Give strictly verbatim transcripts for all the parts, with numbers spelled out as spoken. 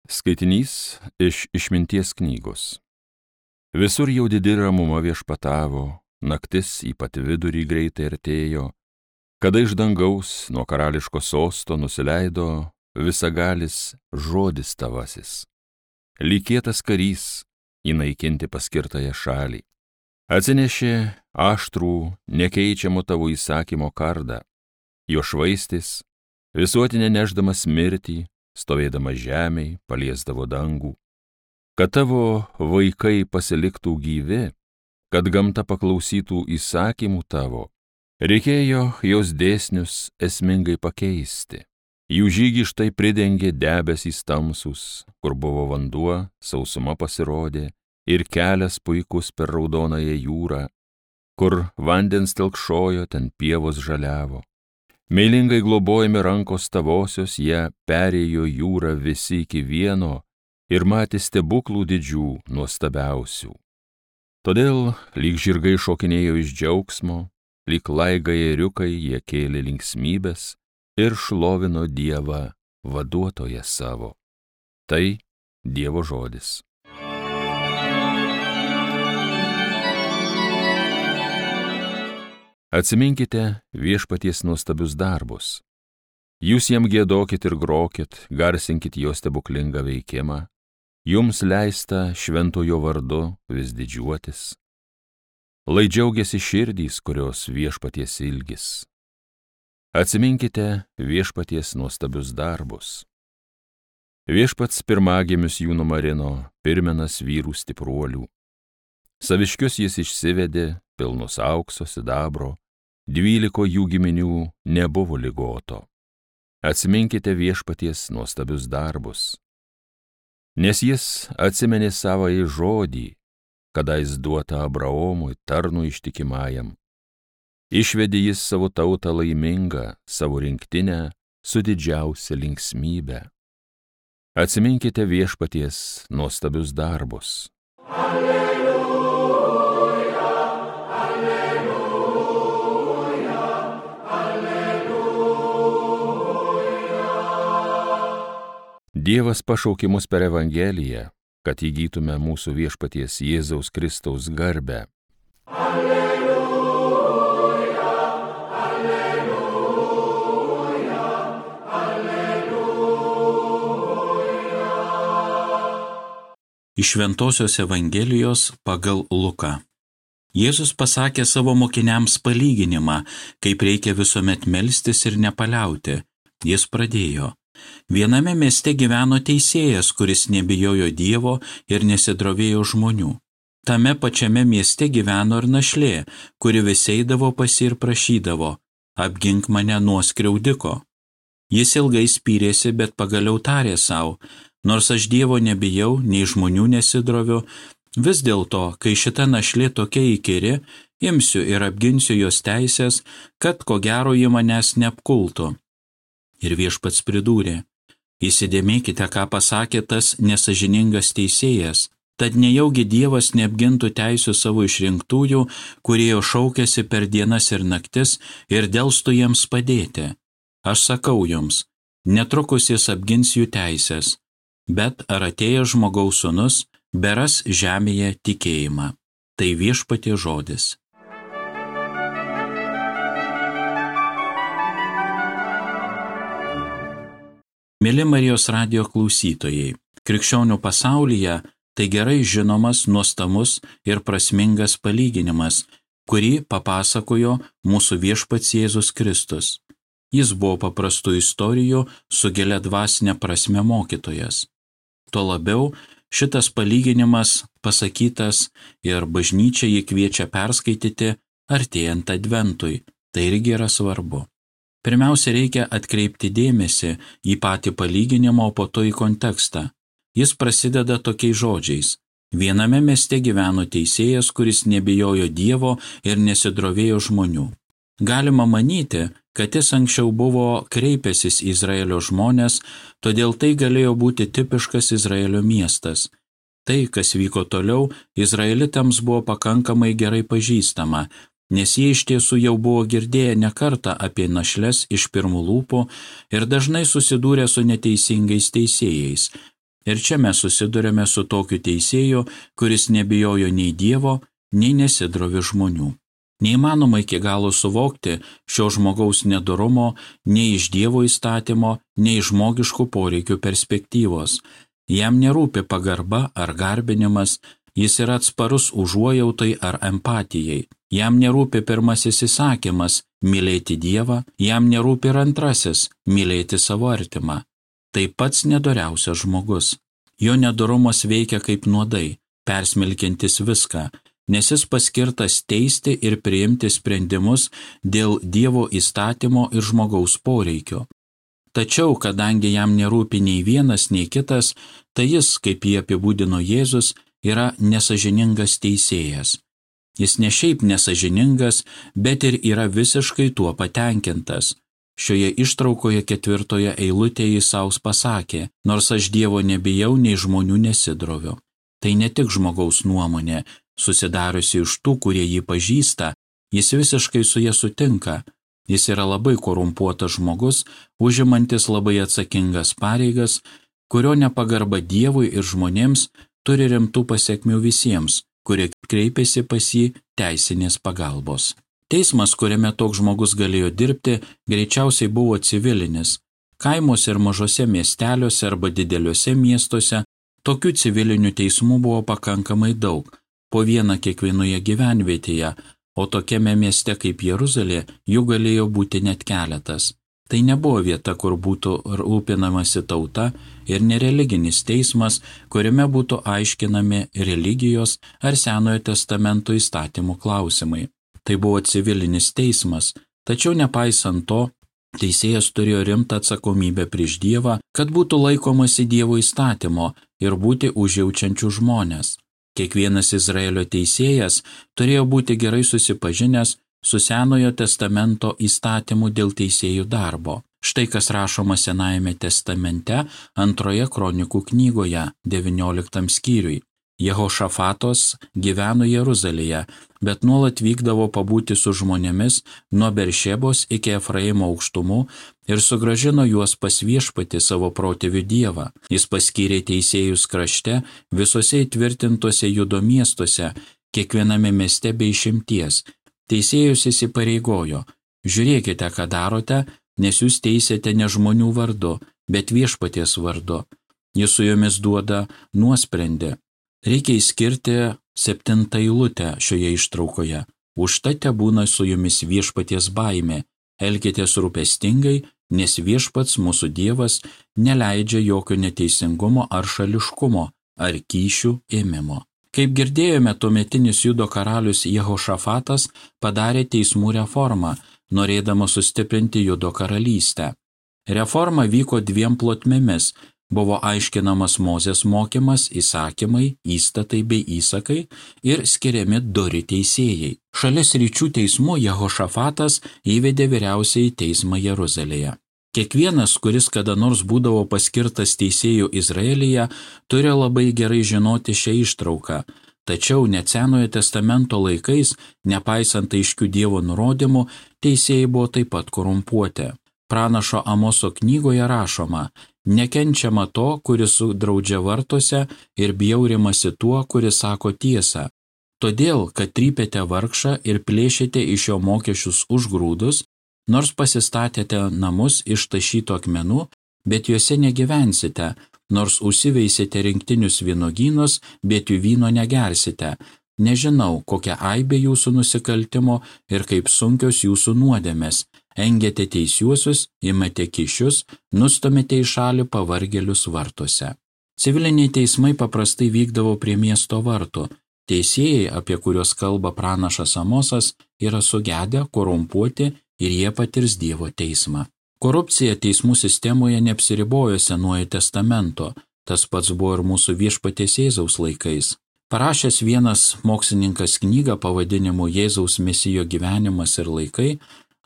Skaitinys iš Išminties knygos. Visur jau didi ramuma viešpatavo, naktis į pat vidurį greitai artėjo, kada iš dangaus nuo karališko sosto nusileido visagalis žodis tavasis. Lyg kietas karys įnaikinti paskirtąją šalį. Atsinešė aštrų, nekeičiamo tavo įsakymo kardą, jo švaistis, visuotinė nešdamas mirtį, stovėdama žemėj, paliesdavo dangų, kad tavo vaikai pasiliktų gyvi, kad gamta paklausytų įsakymų tavo, reikėjo jos dėsnius esmingai pakeisti. Jų žygį štai pridengė debesys tamsus, kur buvo vanduo, sausuma pasirodė, ir kelias puikus per raudonąją jūrą, kur vandens telkšojo, ten pievos žaliavo. Meilingai globojami rankos tavosios, jie perėjo jūrą visi iki vieno ir matė stebuklų didžių nuostabiausių. Todėl lyg žirgai šokinėjo iš džiaugsmo, lyg laigai ėriukai jie kėlė linksmybės ir šlovino Dievą vaduotoją savo. Tai Dievo žodis. Atsiminkite viešpaties nuostabius darbus. Jūs jam giedokit ir grokit, garsinkit jo stebuklingą veikimą. Jums leista šventojo vardu vis didžiuotis. Lai džiaugiasi širdys, kurios viešpaties ilgis. Atsiminkite viešpaties nuostabius darbus. Viešpats pirmagimius jų numarino, pirmenas vyrų stipruolių. Saviškius jis išsivedė, pilnus aukso sidabro, dvyliko jų giminių nebuvo ligoto. Atsiminkite viešpaties nuostabius darbus. Nes jis atsimenė savąjį žodį, kadais duotą Abraomui, tarnui ištikimajam. Išvedė jis savo tautą laimingą, savo rinktinę su didžiausia linksmybe. Atsiminkite viešpaties nuostabius darbus. Alleluja, alleluja, alleluja. Dievas pašaukė mus per Evangeliją, kad įgytume mūsų viešpaties Jėzaus Kristaus garbę. Alleluja, alleluja, alleluja. Iš Šventosios Evangelijos pagal Luką. Jėzus pasakė savo mokiniams palyginimą, kaip reikia visuomet melstis ir nepaliauti. Jis pradėjo. Viename mieste gyveno teisėjas, kuris nebijojo Dievo ir nesidrovėjo žmonių. Tame pačiame mieste gyveno ir našlė, kuri vis eidavo pas jį ir prašydavo: apgink mane nuo skriaudiko. Jis ilgai spyrėsi, bet pagaliau tarė sau: nors aš Dievo nebijau, nei žmonių nesidroviu, vis dėlto, kai šita našlė tokia įkyri, imsiu ir apginsiu jos teisės, kad ko gero ji manęs neapkultų. Ir viešpats pridūrė: įsidėmėkite, ką pasakė tas nesažiningas teisėjas, tad nejaugi Dievas neapgintų teisių savo išrinktųjų, kurie jo šaukėsi per dienas ir naktis ir delstų jiems padėti. Aš sakau jums, netrukus jis apgins jų teisės, bet ar atėjęs žmogaus sūnus beras žemėje tikėjimą. Tai viešpaties žodis. Mėly Marijos radijo klausytojai, krikščionių pasaulyje tai gerai žinomas, nuostabus ir prasmingas palyginimas, kurį papasakojo mūsų viešpats Jėzus Kristus. Jis buvo paprastų istorijų su gilia dvasinė prasme mokytojas. Tuo labiau šitas palyginimas pasakytas ir bažnyčia jį kviečia perskaityti artėjant adventui. Tai irgi yra svarbu. Pirmiausia, reikia atkreipti dėmesį į patį palyginimą, o po to į kontekstą. Jis prasideda tokiais žodžiais. Viename mieste gyveno teisėjas, kuris nebijojo Dievo ir nesidrovėjo žmonių. Galima manyti, kad jis anksčiau buvo kreipęsis į Izraelio žmones, todėl tai galėjo būti tipiškas Izraelio miestas. Tai, kas vyko toliau, izraelitams buvo pakankamai gerai pažįstama, nes jie iš tiesų jau buvo girdėję ne kartą apie našles iš pirmų lūpų ir dažnai susidūrė su neteisingais teisėjais. Ir čia mes susidurėme su tokiu teisėju, kuris nebijojo nei Dievo, nei nesidrovė žmonių. Neįmanoma iki galo suvokti šio žmogaus nedorumo nei iš Dievo įstatymo, nei iš žmogiškų poreikių perspektyvos. Jam nerūpi pagarba ar garbinimas, jis yra atsparus užuojautai ar empatijai. Jam nerūpi pirmasis įsakymas – mylėti Dievą, jam nerūpi ir antrasis – mylėti savo artimą. Tai pats nedoriausias žmogus. Jo nedorumas veikia kaip nuodai, persmelkiantis viską, nes jis paskirtas teisti ir priimti sprendimus dėl Dievo įstatymo ir žmogaus poreikio. Tačiau, kadangi jam nerūpi nei vienas, nei kitas, tai jis, kaip jį apibūdino Jėzus, yra nesažiningas teisėjas. Jis ne šiaip nesažiningas, bet ir yra visiškai tuo patenkintas. Šioje ištraukoje ketvirtoje eilutėje jis sau pasakė, nors aš Dievo nebijau, nei žmonių nesidroviu. Tai ne tik žmogaus nuomonė, susidariusi iš tų, kurie jį pažįsta, jis visiškai su jie sutinka. Jis yra labai korumpuotas žmogus, užimantis labai atsakingas pareigas, kurio nepagarba Dievui ir žmonėms turi rimtų pasekmių visiems, kurie kreipiasi pas jį teisinės pagalbos. Teismas, kuriame toks žmogus galėjo dirbti, greičiausiai buvo civilinis. Kaimuose ir mažose miesteliuose arba dideliuose miestuose tokių civilinių teismų buvo pakankamai daug, po vieną kiekvienoje gyvenvietėje, o tokiame mieste kaip Jeruzalė jų galėjo būti net keletas. Tai nebuvo vieta, kur būtų rūpinamasi tauta ir nereliginis teismas, kuriame būtų aiškinami religijos ar Senojo testamento įstatymų klausimai. Tai buvo civilinis teismas, tačiau nepaisant to, teisėjas turėjo rimtą atsakomybę prieš Dievą, kad būtų laikomasi Dievo įstatymo ir būti užjaučiančių žmonės. Kiekvienas Izraelio teisėjas turėjo būti gerai susipažinęs su Senojo testamento įstatymu dėl teisėjų darbo. Štai kas rašoma Senajame testamente antroje kronikų knygoje, devynioliktam skyriui. Jehošafatos gyveno Jeruzalėje, bet nuolat vykdavo pabūti su žmonėmis nuo Beršebos iki Efraimo aukštumų ir sugrąžino juos pas viešpatį savo protėvių Dievą. Jis paskyrė teisėjus krašte visose įtvirtintose Judo miestuose, kiekviename mieste be išimties. Teisėjus įsipareigojo: žiūrėkite, ką darote, nes jūs teisėte ne žmonių vardu, bet viešpaties vardu. Jis su jomis duoda nuosprendį. Reikia įskirti septintą eilutę šioje ištraukoje. Užtat tebūna su jumis viešpaties baimė, elkitės rūpestingai, nes viešpats mūsų Dievas neleidžia jokio neteisingumo ar šališkumo, ar kyšių ėmimo. Kaip girdėjome, tuometinis Judo karalius Jehošafatas padarė teismų reformą, norėdamas sustiprinti Judo karalystę. Reforma vyko dviem plotmėmis. Buvo aiškinamas Mozės mokymas, įsakymai, įstatai bei įsakai ir skiriami dori teisėjai. Šalia sričių teismų Jehošafatas įvedė vyriausiąjį teismą Jeruzalėje. Kiekvienas, kuris kada nors būdavo paskirtas teisėjų Izraelyje, turi labai gerai žinoti šią ištrauką. Tačiau net Senojo testamento laikais, nepaisant aiškių Dievo nurodymų, teisėjai buvo taip pat korumpuoti. Pranašo Amoso knygoje rašoma: nekenčiama to, kuris sudraudžia vartuose, ir bjaurimasi tuo, kuris sako tiesą. Todėl, kad trypėte vargšą ir plėšėte iš jo mokesčius už grūdus, nors pasistatėte namus iš tašytų akmenų, bet juose negyvensite, nors užsiveisite rinktinius vynuogynus, bet jų vyno negersite. Nežinau, kokia aibė jūsų nusikaltimo ir kaip sunkios jūsų nuodėmės. Engiate teisiuosius, imate kyšius, nustumėte į šalį pavargėlius vartuose. Civiliniai teismai paprastai vykdavo prie miesto vartų. Teisėjai, apie kuriuos kalba pranašas Amosas, yra sugedę, korumpuoti ir jie patirs Dievo teismą. Korupcija teismų sistemoje neapsiribojo Senuoju testamento, tas pats buvo ir mūsų viešpaties Jėzaus laikais. Parašęs vienas mokslininkas knygą pavadinimu Jėzaus Mesijo gyvenimas ir laikai,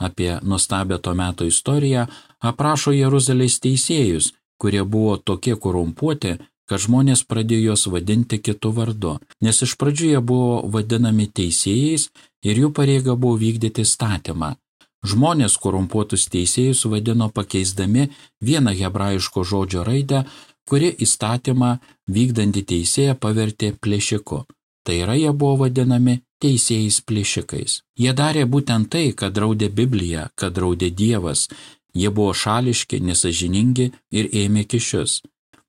apie nuostabią to meto istoriją, aprašo Jeruzalės teisėjus, kurie buvo tokie korumpuoti, kad žmonės pradėjo juos vadinti kitu vardu, nes iš pradžių jie buvo vadinami teisėjais ir jų pareiga buvo vykdyti įstatymą. Žmonės korumpuotus teisėjus vadino pakeisdami vieną hebrajiško žodžio raidę kuri įstatymą vykdantį teisėją pavertė plėšiku. Tai yra, jie buvo vadinami teisėjais plėšikais. Jie darė būtent tai, kad draudė Biblija, kad draudė Dievas. Jie buvo šališki, nesažiningi ir ėmė kyšius.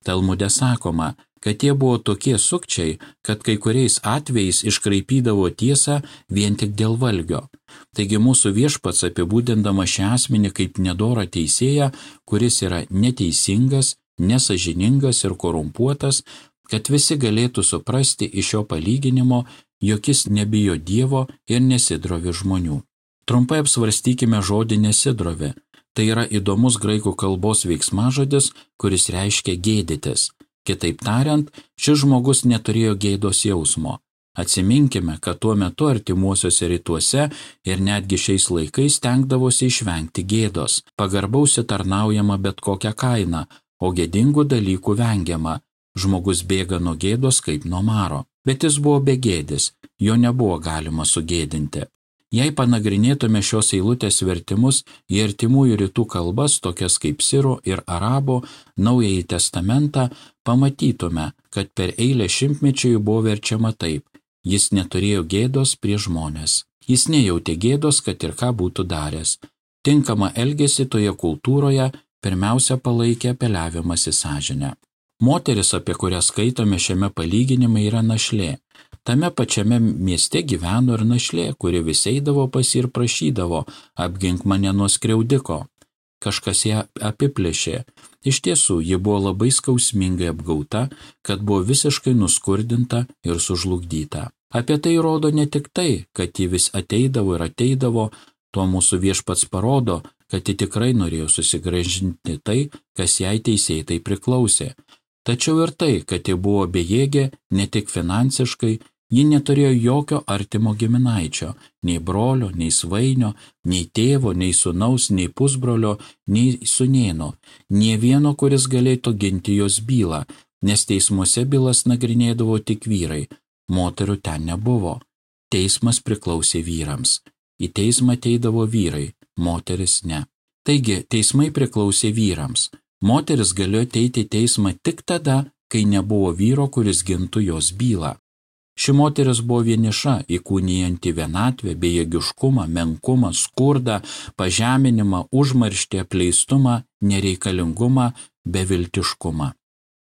Talmude sakoma, kad jie buvo tokie sukčiai, kad kai kuriais atvejais iškraipydavo tiesą vien tik dėl valgio. Taigi mūsų Viešpats apibūdindama šią asmenį kaip nedorą teisėją, kuris yra neteisingas, nesažiningas ir korumpuotas, kad visi galėtų suprasti iš šio palyginimo, jog jis nebijo Dievo ir nesidrovi žmonių. Trumpai apsvarstykime žodį nesidrovi. Tai yra įdomus graikų kalbos veiksmažodis, kuris reiškia gėdytis. Kitaip tariant, šis žmogus neturėjo gėdos jausmo. Atsiminkime, kad tuo metu artimuosiuose rytuose ir netgi šiais laikais stengdavosi išvengti gėdos. Pagarbausi tarnaujama bet kokią kainą, o gėdingų dalykų vengiama. Žmogus bėga nuo gėdos kaip nuo maro. Bet jis buvo begėdis, jo nebuvo galima sugėdinti. Jei panagrinėtume šios eilutės vertimus į artimųjų rytų kalbas, tokias kaip sirų ir arabų, Naująjį testamentą, pamatytume, kad per eilę šimtmečių buvo verčiama taip: jis neturėjo gėdos prieš žmones. Jis nejautė gėdos, kad ir ką būtų daręs. Tinkamą elgesį toje kultūroje pirmiausia palaikė apeliavimas į sąžinę. Moteris, apie kurią skaitome šiame palyginime, yra našlė. Tame pačiame mieste gyveno ir našlė, kuri vis eidavo pas jį ir prašydavo: apgink mane nuo skriaudiko. Kažkas ją apiplėšė. Iš tiesų, ji buvo labai skausmingai apgauta, kad buvo visiškai nuskurdinta ir sužlugdyta. Apie tai rodo ne tik tai, kad ji vis ateidavo ir ateidavo, tuo mūsų Viešpats parodo, kad ji tikrai norėjo susigrąžinti tai, kas jai teisėtai priklausė. Tačiau ir tai, kad ji buvo bejėgė ne tik finansiškai, ji neturėjo jokio artimo giminaičio, nei brolio, nei svainio, nei tėvo, nei sūnaus, nei pusbrolio, nei sūnėno, nė vieno, kuris galėtų ginti jos bylą, nes teismuose bylas nagrinėdavo tik vyrai, moterų ten nebuvo. Teismas priklausė vyrams. Į teismą ateidavo vyrai, moteris ne. Taigi, teismai priklausė vyrams. Moteris galėjo ateiti į teismą tik tada, kai nebuvo vyro, kuris gintų jos bylą. Ši moteris buvo vieniša, įkūnijanti vienatvę, bejėgiškumą, menkumą, skurdą, pažeminimą, užmarštį, apleistumą, nereikalingumą, beviltiškumą.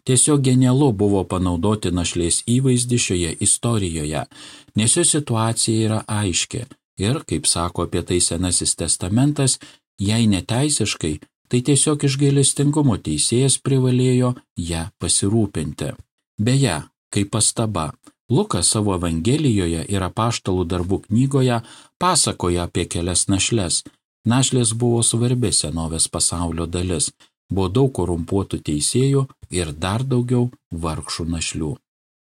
Tiesiog genialu buvo panaudoti našlės įvaizdį šioje istorijoje, nes jo situacija yra aiški ir, kaip sako apie tai Senasis testamentas, jei neteisiškai, tai tiesiog iš gailestingumo teisėjas privalėjo ją pasirūpinti. Beje, kaip pastaba, Lukas savo Evangelijoje ir Apaštalų darbų knygoje pasakoja apie kelias našles. Našlės buvo svarbi senovės pasaulio dalis, buvo daug korumpuotų teisėjų ir dar daugiau vargšų našlių.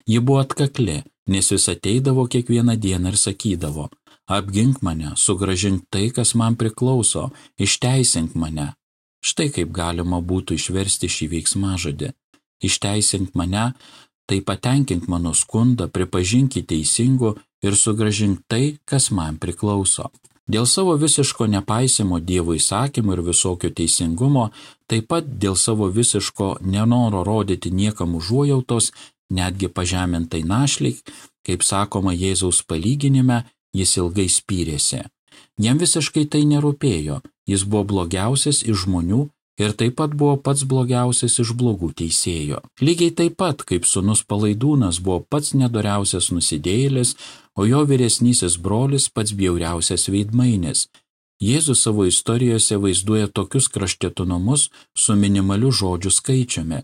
Ji buvo atkakli, nes vis ateidavo kiekvieną dieną ir sakydavo: apgink mane, sugrąžink tai, kas man priklauso, išteisink mane. Štai kaip galima būtų išversti šį veiksmažodį. Išteisink mane, tai patenkink mano skundą, pripažink jį teisingu ir sugrąžink tai, kas man priklauso. Dėl savo visiško nepaisimo Dievo įsakymų ir visokio teisingumo, taip pat dėl savo visiško nenoro rodyti niekam užuojautos, netgi pažemintai našliai, kaip sakoma Jėzaus palyginime, jis ilgai spyrėsi. Jam visiškai tai nerūpėjo, jis buvo blogiausias iš žmonių ir taip pat buvo pats blogiausias iš blogų teisėjų. Lygiai taip pat, kaip sūnus Palaidūnas buvo pats nedoriausias nusidėjėlis, o jo vyresnysis brolis pats bjauriausias veidmainis. Jėzus savo istorijose vaizduoja tokius kraštutinumus su minimaliu žodžių skaičiumi,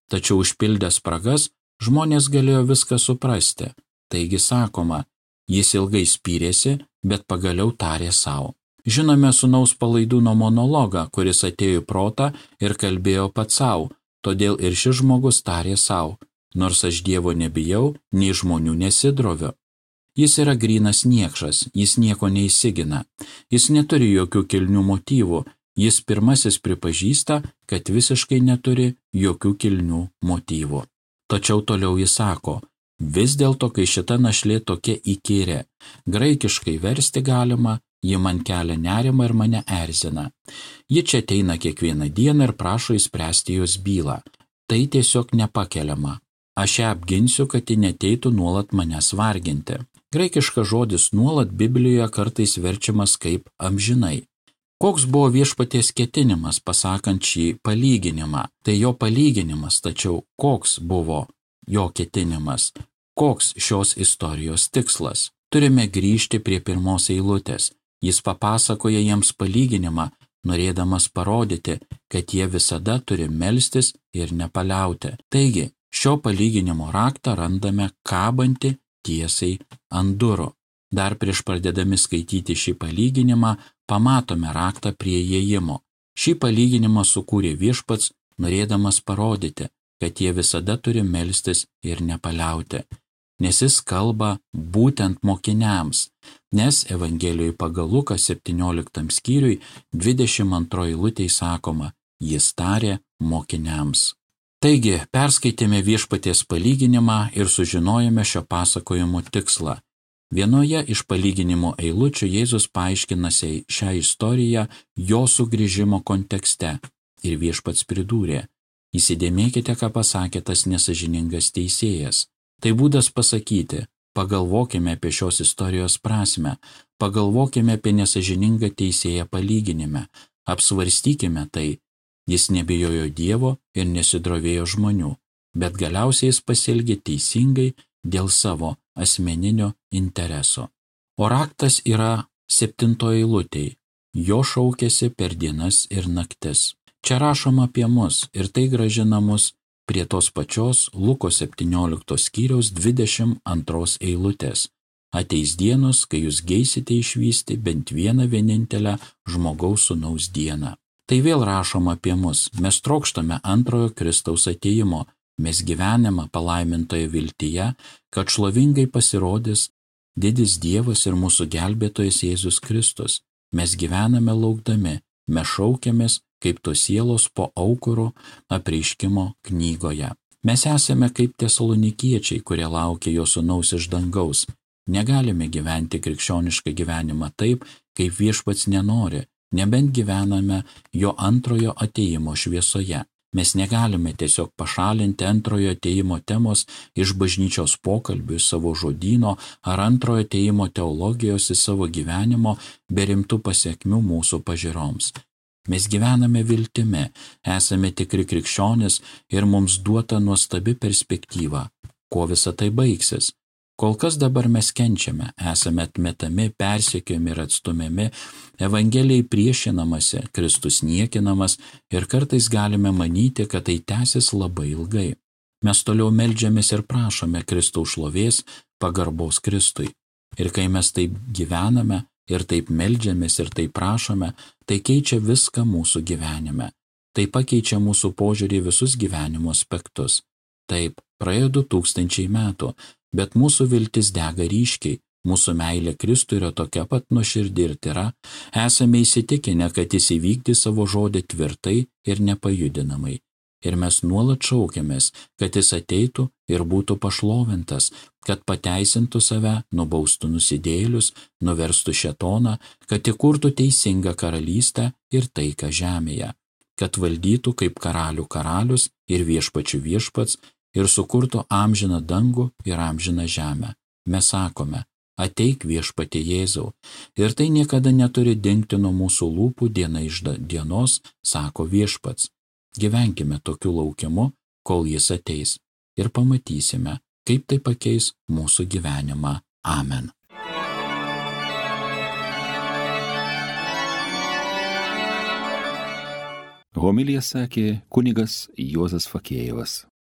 tačiau užpildęs spragas žmonės galėjo viską suprasti. Taigi sakoma, jis ilgai spyrėsi, bet pagaliau tarė sau. Žinome sūnaus Palaidūno monologą, kuris atėjo į protą ir kalbėjo pats sau, todėl ir šis žmogus tarė sau: nors aš Dievo nebijau, nei žmonių nesidroviu. Jis yra grynas niekšas, jis nieko neįsigina, jis neturi jokių kilnių motyvų, jis pirmasis pripažįsta, kad visiškai neturi jokių kilnių motyvų. Tačiau toliau jis sako: vis dėlto, kai šita našlė tokia įkyrė, graikiškai versti galima, ji man kelia nerimą ir mane erzina. Ji čia ateina kiekvieną dieną ir prašo išspręsti jos bylą. Tai tiesiog nepakeliama. Aš ją apginsiu, kad ji neteitų nuolat manęs varginti. Graikiškas žodis nuolat Biblijoje kartais verčiamas kaip amžinai. Koks buvo viešpaties ketinimas pasakant šį palyginimą? Tai jo palyginimas, tačiau koks buvo jo ketinimas? Koks šios istorijos tikslas? Turime grįžti prie pirmos eilutės. Jis papasakoja jiems palyginimą, norėdamas parodyti, kad jie visada turi melstis ir nepaliauti. Taigi, šio palyginimo raktą randame kabantį tiesiai ant durų. Dar prieš pradėdami skaityti šį palyginimą, pamatome raktą prie įėjimo. Šį palyginimą sukūrė viešpats, norėdamas parodyti, kad jie visada turi melstis ir nepaliauti. Nes jis kalba būtent mokiniams, nes Evangelijoje pagal Luką septynioliktam skyriui dvidešimt antroji eilutė sakoma, jis tarė mokiniams. Taigi, perskaitėme viešpaties palyginimą ir sužinojome šio pasakojimo tikslą. Vienoje iš palyginimo eilučių Jėzus paaiškinasi šią istoriją jo sugrįžimo kontekste ir viešpats pridūrė, įsidėmėkite, ką pasakė tas nesąžiningas teisėjas. Tai būdas pasakyti, pagalvokime apie šios istorijos prasmę, pagalvokime apie nesąžiningą teisėją palyginime, apsvarstykime tai. Jis nebijojo Dievo ir nesidrovėjo žmonių, bet galiausiai jis pasielgė teisingai dėl savo asmeninio intereso. O raktas yra septintoji eilutėj. Jo šaukėsi per dienas ir naktis. Čia rašoma apie mus ir tai grąžina mus prie tos pačios Luko septynioliktos skyriaus dvidešimt antros eilutės. Ateis dienos, kai jūs geisite išvysti bent vieną vienintelę žmogaus sūnaus dieną. Tai vėl rašoma apie mus. Mes trokštame antrojo Kristaus atėjimo. Mes gyvename palaimintoje viltyje, kad šlovingai pasirodys didis Dievas ir mūsų gelbėtojas Jėzus Kristus. Mes gyvename laukdami, mes šaukiamės kaip tos sielos po aukuro apreiškimo knygoje. Mes esame kaip tesalonikiečiai, kurie laukia jo sūnaus iš dangaus. Negalime gyventi krikščionišką gyvenimą taip, kaip viešpats nenori, nebent gyvename jo antrojo atėjimo šviesoje. Mes negalime tiesiog pašalinti antrojo atėjimo temos iš bažnyčios pokalbių, savo žodyno ar antrojo atėjimo teologijos į savo gyvenimo be rimtų pasiekmių mūsų pažiūroms. Mes gyvename viltimi, esame tikri krikščionis ir mums duota nuostabi perspektyva. Kuo visa tai baigsis? Kol kas dabar mes kenčiame, esame atmetami, persekiojami ir atstumiami, Evangelijai priešinamasi, Kristus niekinamas ir kartais galime manyti, kad tai tęsis labai ilgai. Mes toliau meldžiamės ir prašome Kristaus šlovės, pagarbos Kristui. Ir kai mes taip gyvename ir taip meldžiamės ir taip prašome, tai keičia viską mūsų gyvenime. Tai pakeičia mūsų požiūrį į visus gyvenimo aspektus. Taip, praėjo du tūkstančiai metų, bet mūsų viltis dega ryškiai, mūsų meilė Kristui yra tokia pat nuoširdi ir tyra, esame įsitikinę, kad jis įvykdys savo žodį tvirtai ir nepajudinamai. Ir mes nuolat šaukiamės, kad jis ateitų ir būtų pašlovintas, kad pateisintų save, nubaustų nusidėjėlius, nuverstų šėtoną, kad įkurtų teisingą karalystę ir taiką žemėje, kad valdytų kaip karalių karalius ir viešpačių viešpats, ir sukurtų amžiną dangų ir amžiną žemę. Mes sakome, ateik viešpatie Jėzau. Ir tai niekada neturi dingti nuo mūsų lūpų diena iš dienos, sako viešpats. Gyvenkime tokiu laukimu, kol jis ateis. Ir pamatysime, kaip tai pakeis mūsų gyvenimą. Amen. Homiliją sakė kunigas Juozas Fakėjevas.